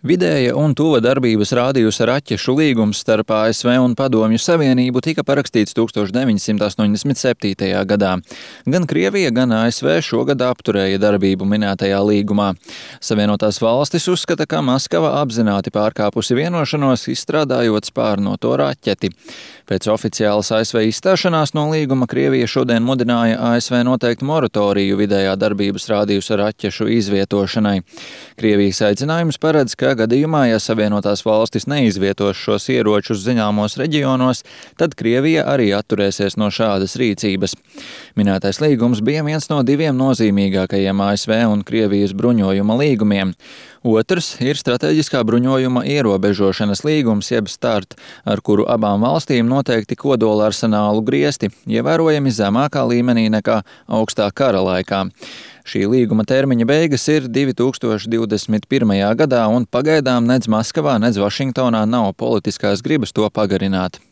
Vidēja un tuva darbības rādījusa raķešu līgums starp ASV un Padomju Savienību tika parakstīts 1987. gadā. Gan Krievija, gan ASV šogad apturēja darbību minētajā līgumā. Savienotās valstis uzskata, ka Maskava apzināti pārkāpusi vienošanos, izstrādājot spārnoto raķeti. Pēc oficiālas ASV izstāšanās no līguma Krievija šodien mudināja ASV noteikt moratoriju vidējā darbības rādījusa raķešu izvietošanai. Krievijas aicinājums paredz, ka gadījumā, ja Savienotās valstis neizvietos šos ieročus zināmos reģionos, tad Krievija arī atturēsies no šādas rīcības. Minētais līgums bija viens no diviem nozīmīgākajiem ASV un Krievijas bruņojuma līgumiem. Otrs ir strateģiskā bruņojuma ierobežošanas līgums, jeb START, ar kuru abām valstīm noteikti kodola arsenālu griesti, ievērojami zemākā līmenī nekā augstā kara laikā. Šī līguma termiņa beigas ir 2021. gadā, un pagaidām nedz Maskavā, nedz Vašingtonā nav politiskās gribas to pagarināt.